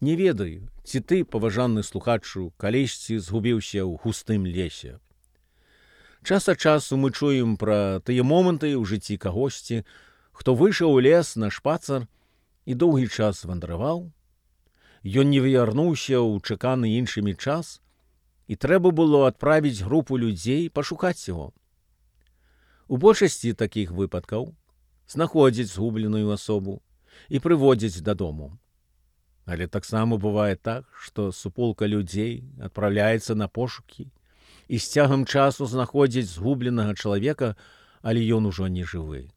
Не ведаю, ці ты, паважаны слухачу, калісьці згубіўся ў густым лесе. Час ад часу мы чуем пра тыя моманты ў жыцці кагосьці, хто выйшаў у лес на шпацар і доўгі час вандраваў. Ён не вярнуўся ў чаканы іншымі час, і трэба было адправіць групу людзей пашукаць яго. У большасці такіх выпадкаў знаходзяць згубленую асобу і прыводзяць дадому. Але таксама бывае так, што суполка людзей адпраўляецца на пошукі і з цягам часу знаходзіць згубленага чалавека, але ён ужо не жывы.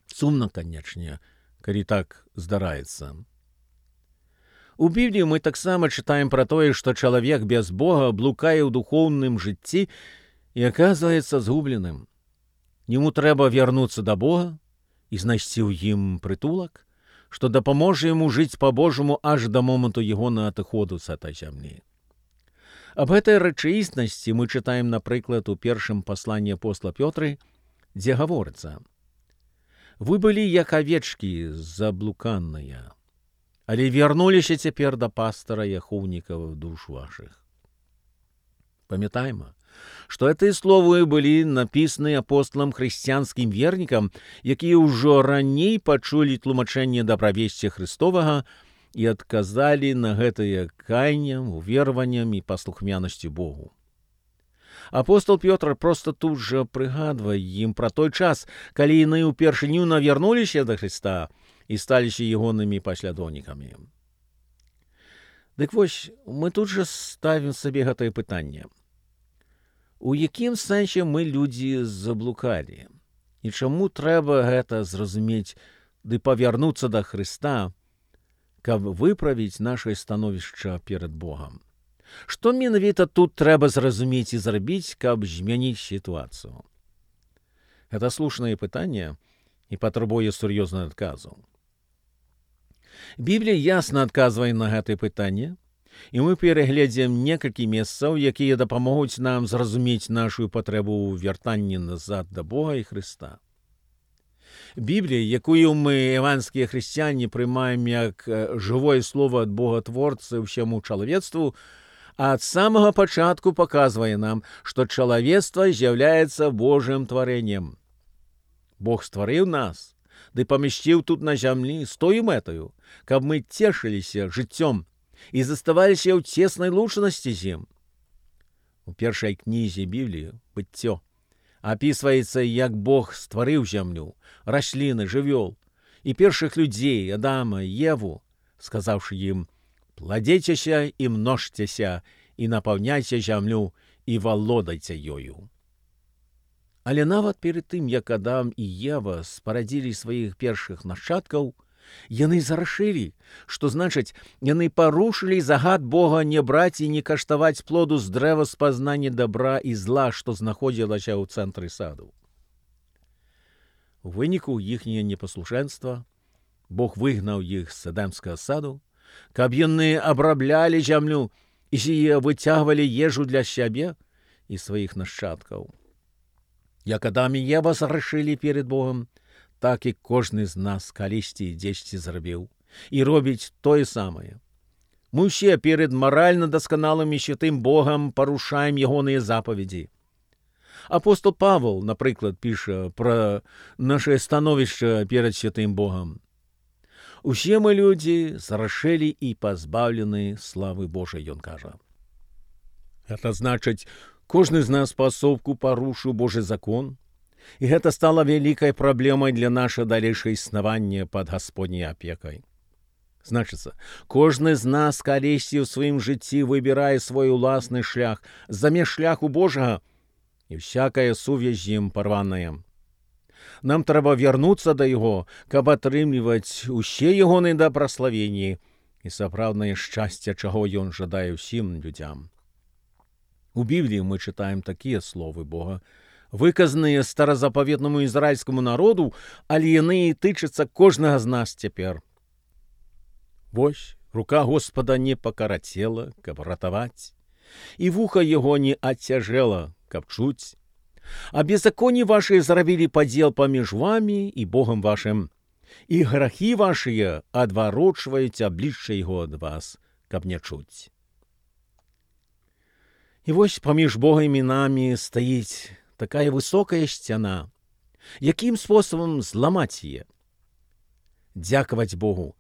Сумна, канечне, калі так здараецца. У Бібліі мы таксама чытаем пра тое, што чалавек без Бога блукае ў духоўным жыцці і аказваецца згубленым. Яму трэба вярнуцца да Бога і знайсці ў ім прытулак, што дапаможа яму жыць па-божаму аж да моманту ягонага адыходу з гэтай зямлі. Аб гэтай рэчаіснасці мы чытаем, напрыклад, у першым пасланні апостола Пётры, дзе гаворыцца: «Вы былі як авечкі заблуканныя, але вярнуліся цяпер да пастара і ахоўнікаў душ вашых». Памятайма, што гэтыя словы былі напісаны апосталам хрысціянскім вернікам, якія ўжо раней пачулі тлумачэнне дабравесці Христовага і адказалі на гэтае каяннем, уверваннем і паслухмянасцю Богу. Апостол Пётр проста тут жа прыгадвае ім пра той час, калі яны ўпершыню навярнуліся да Христа і сталіся ягонымі паслядоўнікамі. Дык вось, мы тут жа ставім сабе гэтае пытанне. У якім сэнсе мы людзі заблукалі? І чаму трэба гэта зразумець ды павярнуцца да Хрыста, каб выправіць нашае становішча перад Богам? Што менавіта тут трэба зразумець і зрабіць, каб змяніць сітуацыю? Гэта слушнае пытанне і патрабуе сур'ёзнага адказу. Біблія ясна адказвае на гэтае пытанне, і мы перагледзім некалькі месцаў, якія дапамогуць нам зразумець нашу патрэбу ў вяртанні назад да Бога і Хрыста. Біблія, якую мы, евангельскія хрысціяне, прымаем як жывое слово ад Бога-творцы ўсяму чалавецтву, ад самага пачатку паказвае нам, што чалавецтва з'яўляецца Божым тварэннем. Бог стварыў нас, ды памясціў тут на зямлі з тою мэтаю, каб мы цешыліся жыццём і заставаліся ў цеснай лучнасці з ім. У першай кнізе Бібліі «Быццё» апісваецца, як Бог стварыў зямлю, расліны, жывёл і першых людзей, Адама, Еву, сказаўшы ім: «Пладзейцеся і множцеся, і напаўняйце зямлю, і валодайце ёю». Але нават перад тым, як Адам і Ева спарадзілі сваіх першых нашчадкаў, яны зарашылі, што значыць, яны парушылі загад Бога не браць і не каштаваць плоду з дрэва спазнання дабра і зла, што знаходзілася ў цэнтры саду. У выніку іхняе непаслушэнства Бог выгнаў іх з эдэмскага саду, каб яны абраблялі зямлю і выцягвалі ежу для сябе і сваіх нашчадкаў. Як Адам і Ева зарашылі перед Богом, так і кожны з нас калісьці дзесьці зрабіў і робіць тое самае. Мы ўсе перед маральна дасканалым і святым Богам парушаем ягоныя запаведзі. Апостол Павел, напрыклад, піша пра нашае становішча перад святым Богам. «Усе мы людзі зарашылі і пазбаўлены славы Божай», ён кажа. Гэта значыць, кожны з нас паасобку парушыў Божы закон, і гэта стала вялікай праблемай для наша далейшае існавання пад Гасподняй апекай. Значыцца, кожны з нас калісьці ў сваім жыцці выбірае свой уласны шлях замест шляху Божага, і всякая сувязь з ім парваная. Нам трэба вярнуцца да яго, каб атрымліваць усе ягоныя дабраславенні і сапраўднае шчасце, чаго ён жадае ўсім людзям. У Бібліі мы чытаем такія словы Бога, выказаныя старазапаветнаму ізраільскаму народу, але яны і тычацца кожнага з нас цяпер. «Вось, рука Господа не пакарацела, каб ратаваць, і вуха яго не адцяжэла, каб чуць. А беззаконні вашыя зрабілі падзел паміж вамі і Богам вашым, і грахі вашыя адварочваюць аблічча яго ад вас, каб не чуць. І вось паміж Богам і намі стаіць такая высокая сцяна. Якім спосабам зламаць яе? Дзякаваць Богу.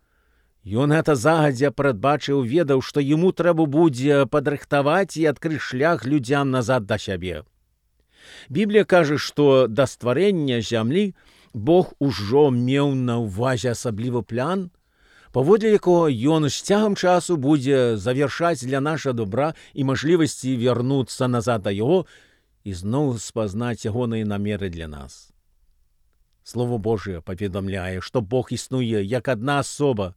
Ён гэта загадзя прадбачыў, ведаў, што яму трэба будзе падрыхтаваць і адкрыць шлях людзям назад да сябе. Біблія кажа, што да стварэння зямлі Бог ужо меў на ўвазе асаблівы план, паводле якога ён з цягам часу будзе завяршаць для наша добра і мажлівасці вярнуцца назад да яго і зноў спазнаць ягоныя намеры для нас. Слово Божие паведамляе, што Бог існуе як адна асоба,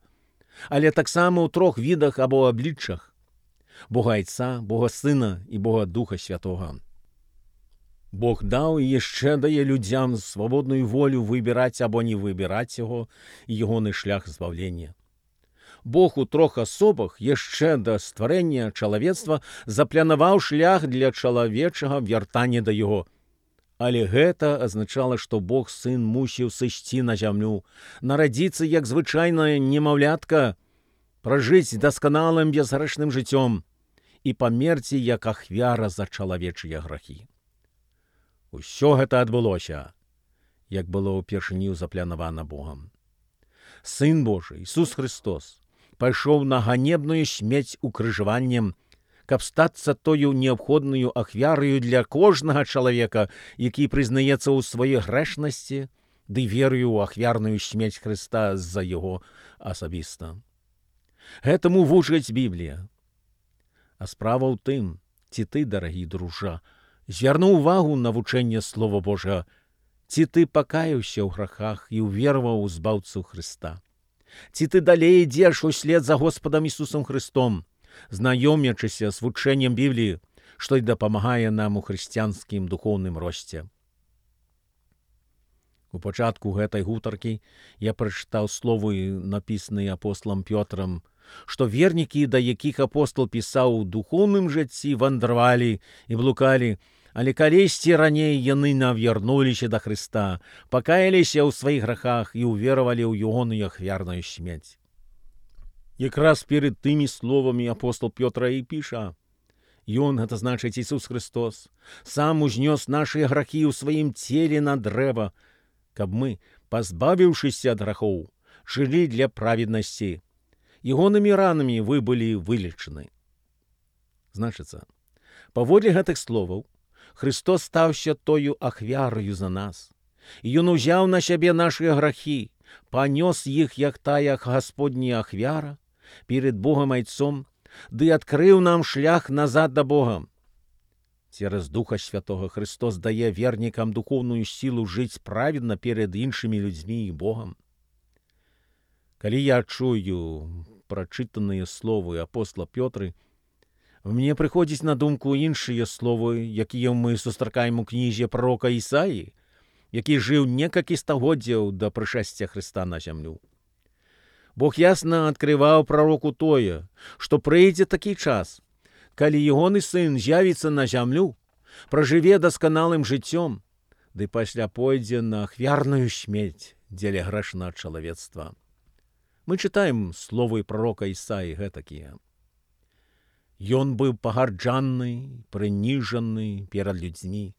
але таксама ў трох відах або абліччах: Бога Айца, Бога Сына і Бога Духа Святога. Бог даў і яшчэ дае людзям свабодную волю выбіраць або не выбіраць яго і ягоны шлях збавлення. Бог у трох асобах яшчэ да стварэння чалавецтва запланаваў шлях для чалавечага вяртання да яго. Але гэта азначала, што Бог Сын мусіў сысці на зямлю, нарадзіцца як звычайнае немаўлятка, пражыць дасканалым безгрэшным жыццём і памерці як ахвяра за чалавечыя грахі. Усё гэта адбылося, як было ўпершыню запланавана Богам. Сын Божий, Ісус Христос, пайшоў на ганебную смерць укрыжаваннем, каб стацца тою неабходнаю ахвяраю для кожнага чалавека, які прызнаецца ў сваёй грэшнасці, ды верую ў ахвярную смерць Хрыста з-за яго асабіста. Гэтаму вучыць Біблія. А справа ў тым, ці ты, дарагі дружа, звярнуў увагу на вучэнне Слова Божага, ці ты пакаяўся ў грахах і ўвераваў у збаўцу Хрыста. Ці ты далей ідзеш услед за Господам Ісусам Христом, знаёмячыся з вучэннем Бібліі, што й дапамагае нам у хрысціянскім духоўным росце. У пачатку гэтай гутаркі я прачытаў словы, напісаныя апосталам Пётрам, што вернікі, да якіх апостал пісаў у духоўным жыцці, вандравалі і блукалі, але калісьці раней яны навярнуліся да Хрыста, пакаяліся ў сваіх грахах і ўверавалі ў ягоную ахвярную смерць. Якраз перед тымі словамі апостал Пётра і піша: Ён, гэта значыць Ісус Христос, сам узнёс нашыя грахі ў сваім целе на дрэва, каб мы, пазбавіўшыся ад грахоў, жылі для праведнасці. Ягонымі ранамі вы былі вылечаны. Значыцца, паводле гэтых словаў, Христос стаўся тою ахвяраю за нас. Ён узяў на сябе нашыя грахі, панёс іх, як тая Гасподняя ахвяра, перед Богом Айцом, ды адкрыў нам шлях назад да Бога. Цераз Духа Святога Христос дае вернікам духоўную сілу жыць праведна перед іншымі людзьмі і Богам. Калі я чую прачытаныя словы апостола Пётры, мне прыходзіць на думку іншыя словы, якія мы сустракаем у кнізе прарока Ісаі, які жыў некалькі стагоддзяў да прышэсця Хрыста на зямлю. Бог ясна адкрываў прароку тое, што прыйдзе такі час, калі ягоны сын з'явіцца на зямлю, пражыве дасканалым жыццём, ды пасля пойдзе на ахвярную смерць дзеля грэшнага чалавецтва. Мы чытаем словы прарока Ісаі гэтакія. Ён быў пагарджаны, прыніжаны перад людзьмі,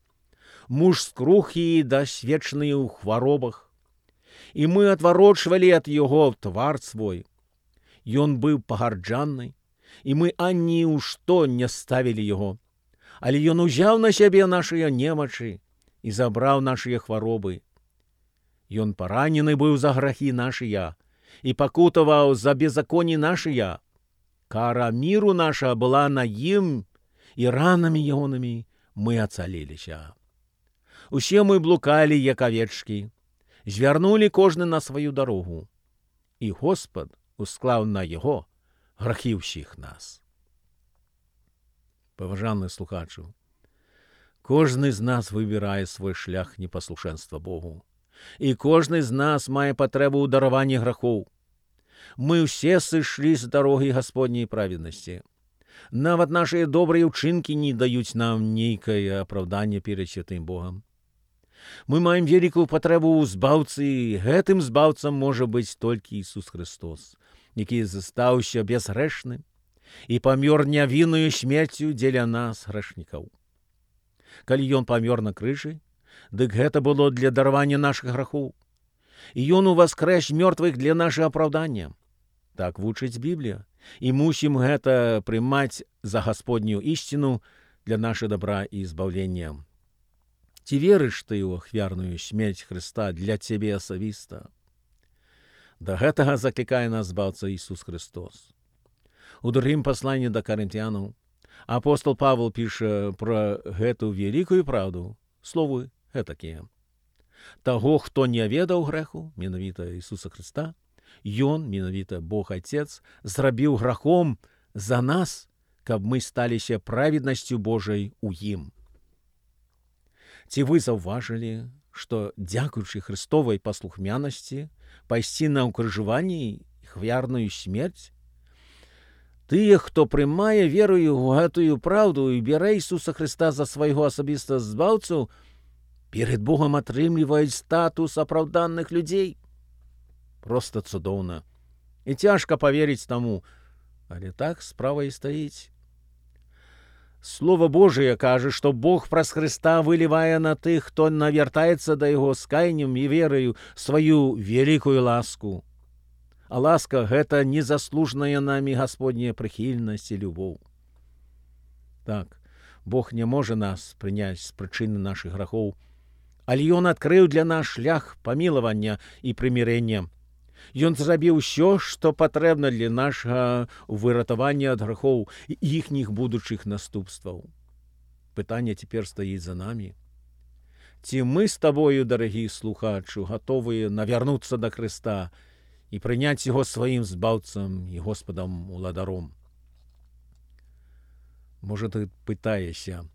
муж скрухі і дасведчаны ў хваробах, і мы адварочвалі ад яго твар свой. Ён быў пагарджаны, і мы ані ў што не ставілі яго, але ён узяў на сябе нашыя немачы і забраў нашыя хваробы. Ён паранены быў за грахі нашыя і пакутаваў за беззаконні нашыя. Кара міру наша была на ім, і ранамі ягонымі мы ацаліліся. Усе мы блукалі, як авечкі, звярнулі кожны на сваю дарогу, і Господ усклаў на яго грахі ўсіх нас. Паважаны слухачу, кожны з нас выбірае свой шлях непаслушэнства Богу, і кожны з нас мае патрэбу ў дараванні грахоў. Мы ўсе сышлі з дарогі Гасподняй праведнасці. Нават нашыя добрыя ўчынкі не даюць нам нейкае апраўданне перад святым Богам. Мы маем вялікую патрэбу ў збаўцы, і гэтым збаўцам можа быць толькі Ісус Христос, які застаўся бязгрэшным і памёр нявіннаю смерцю дзеля нас, грэшнікаў. Калі ён памёр на крыжы, дык гэта было для даравання нашых грахоў. І ён уваскрэс мёртвых для нашага апраўдання. Так вучыць Біблія, і мусім гэта прымаць за Гасподнюю ісціну для нашага дабра і збаўлення. Ці верыш ты ў ахвярную смерць Хрыста для цябе асабіста? Да гэтага заклікае нас збаўца Ісус Христос. У другім пасланні да карынтянаў апостол Павел піша пра гэту вялікую праўду, словы гэтакія. Таго, хто не ведаў грэху, менавіта Ісуса Христа, ён, менавіта Бог Отец, зрабіў грахом за нас, каб мы сталіся праведнасцю Божай у ім. Ці вы заўважылі, што, дзякуючы Христовай паслухмянасці, пайсці на ўкрыжаванне і ахвярную смерць? Тыя, хто прымае верою ў гэтую праўду і бярэ Ісуса Христа за свайго асабістага збаўцу, перед Богом атрымліваюць статус апраўданых людзей. Проста цудоўна. І цяжка паверыць таму, але так справа і стаіць. Слово Божие кажа, што Бог праз Христа вылівае на тых, хто навяртаецца да Яго з каяннем і верою, сваю вялікую ласку. А ласка — гэта незаслужная намі Гасподняя прыхільнасць і любоў. Так, Бог не можа нас прыняць з прычыны нашых грахоў, але Ён адкрыў для нас шлях памілавання і прымірэння. Ён зрабіў усё, што патрэбна для нашага выратавання ад грахоў і іхніх будучых наступстваў. Пытанне цяпер стаіць за намі. Ці мы з табою, дарагі слухачу, гатовыя навярнуцца да Хрыста і прыняць Яго сваім збаўцам і Господам-уладаром? Можа, ты пытаешся,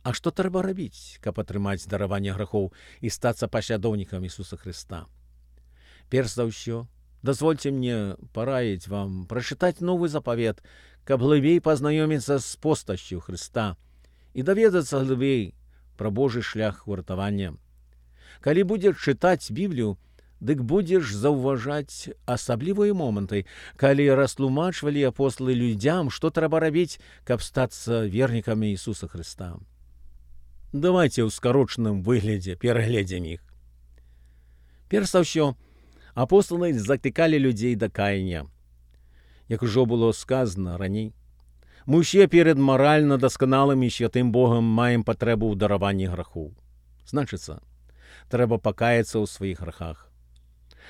а што трэба рабіць, каб атрымаць дараванне грахоў і стацца паслядоўнікам Ісуса Христа? Перш за ўсё, дазвольце мне параіць вам прачытаць новы запавет, каб глыбей пазнаёміцца з постаццю Христа і даведацца глыбей пра Божы шлях выратавання. Калі будзеш чытаць Біблію, дык будзеш заўважаць асаблівыя моманты, калі растлумачвалі апосталы людзям, што трэба рабіць, каб стацца вернікамі Ісуса Христа. Давайце ў скарочаным выглядзе перагледзім іх. Перш за ўсё, апосталы заклікалі людзей да каяння. Як ужо было сказана раней, мы ўсе перед маральна дасканалым і святым Богам маем патрэбу ў дараванні грахоў. Значыцца, трэба пакаяцца ў сваіх грахах.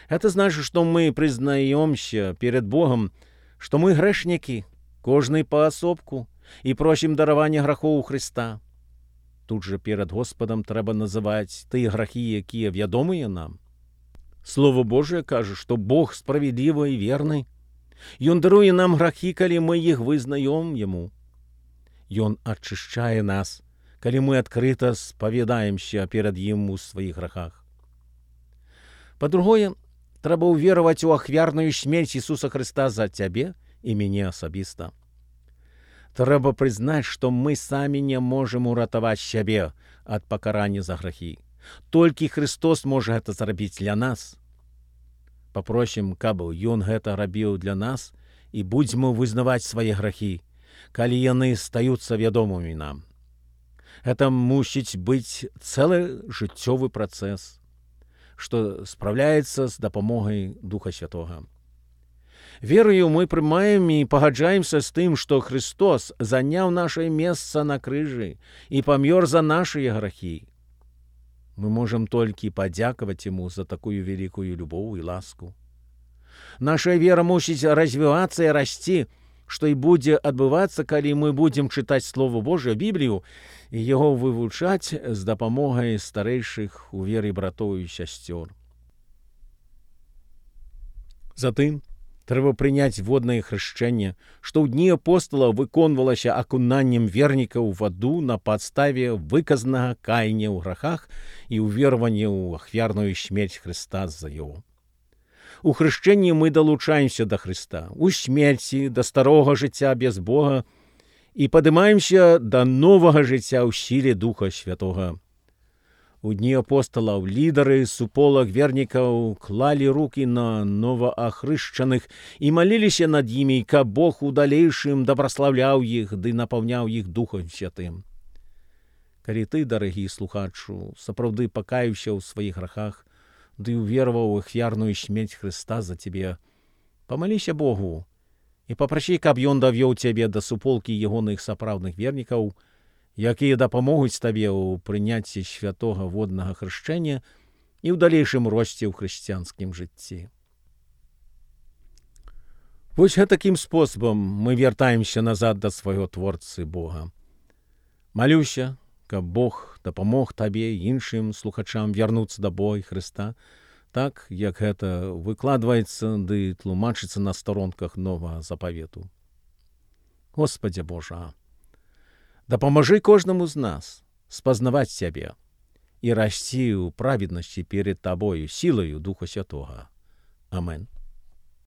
Гэта значыць, што мы прызнаёмся перед Богом, што мы грэшнікі, кожны паасобку, і просім даравання грахоў у Христа. Тут жа перед Господам трэба называць тыя грахі, якія вядомыя нам. Слово Божие кажа, што Бог справедлівы і верны. Ён даруе нам грахі, калі мы іх вызнаём Яму. Ён ачышчае нас, калі мы адкрыта спавядаемся перад Ім у сваіх грахах. Па-другое, трэба ўвераваць у ахвярную смерць Ісуса Христа за цябе і мяне асабіста. Трэба прызнаць, што мы самі не можам уратаваць сябе ад пакарання за грахі. Толькі Христос можа гэта зрабіць для нас. Папросім, каб Ён гэта рабіў для нас, і будзьмо вызнаваць свае грахі, калі яны стаюцца вядомымі нам. Гэта мусіць быць цэлы жыццёвы працэс, што спраўляецца з дапамогай Духа Святога. Верою мы прымаем і пагаджаемся з тым, што Христос заняў нашае месца на крыжы і памёр за нашыя грахі. Мы можам толькі падзякаваць Яму за такую вялікую любоў і ласку. Наша вера мусіць развівацца і расці, што і будзе адбывацца, калі мы будзем чытаць Слово Божие, Біблію, і яго вывучаць з дапамогай старэйшых у веры братоў і сясцёр. Затым трэба прыняць воднае хрышчэнне, што ў дні апостала выконвалася акунаннем вернікаў у ваду на падставе выказанага каяния ў грахах і ўвервання ў ахвярную смерць Христа за яго. У хрышчэнні мы далучаемся да Христа, у смерці, да старога жыцця без Бога і падымаемся да новага жыцця ў сіле Духа Святога. У дні апостолаў лідары суполак вернікаў клалі рукі на новаахрышчаных і маліліся над імі, каб Бог у далейшым дабраслаўляў іх ды напаўняў іх Духом Святым. Калі ты, дарагі слухачу, сапраўды пакаяўся ў сваіх грахах ды ўвераваў у ахвярную смерць Хрыста за цябе, памаліся Богу і папрасі, каб ён давёў цябе да суполкі ягоных сапраўдных вернікаў, якія дапамогуць табе ў прыняцці святога воднага хрышчэння і ў далейшым росце ў хрысціянскім жыцці. Вось гэтакім спосабам мы вяртаемся назад да свайго Творцы Бога. Малюся, каб Бог дапамог табе і іншым слухачам вярнуцца да Бога і Хрыста, так, як гэта выкладваецца ды тлумачыцца на старонках Новага Запавету. Господзе Божа, дапамажы кожнаму з нас спазнаваць Цябе і расці ў праведнасці перед Табою сілаю Духа Святога. Амен.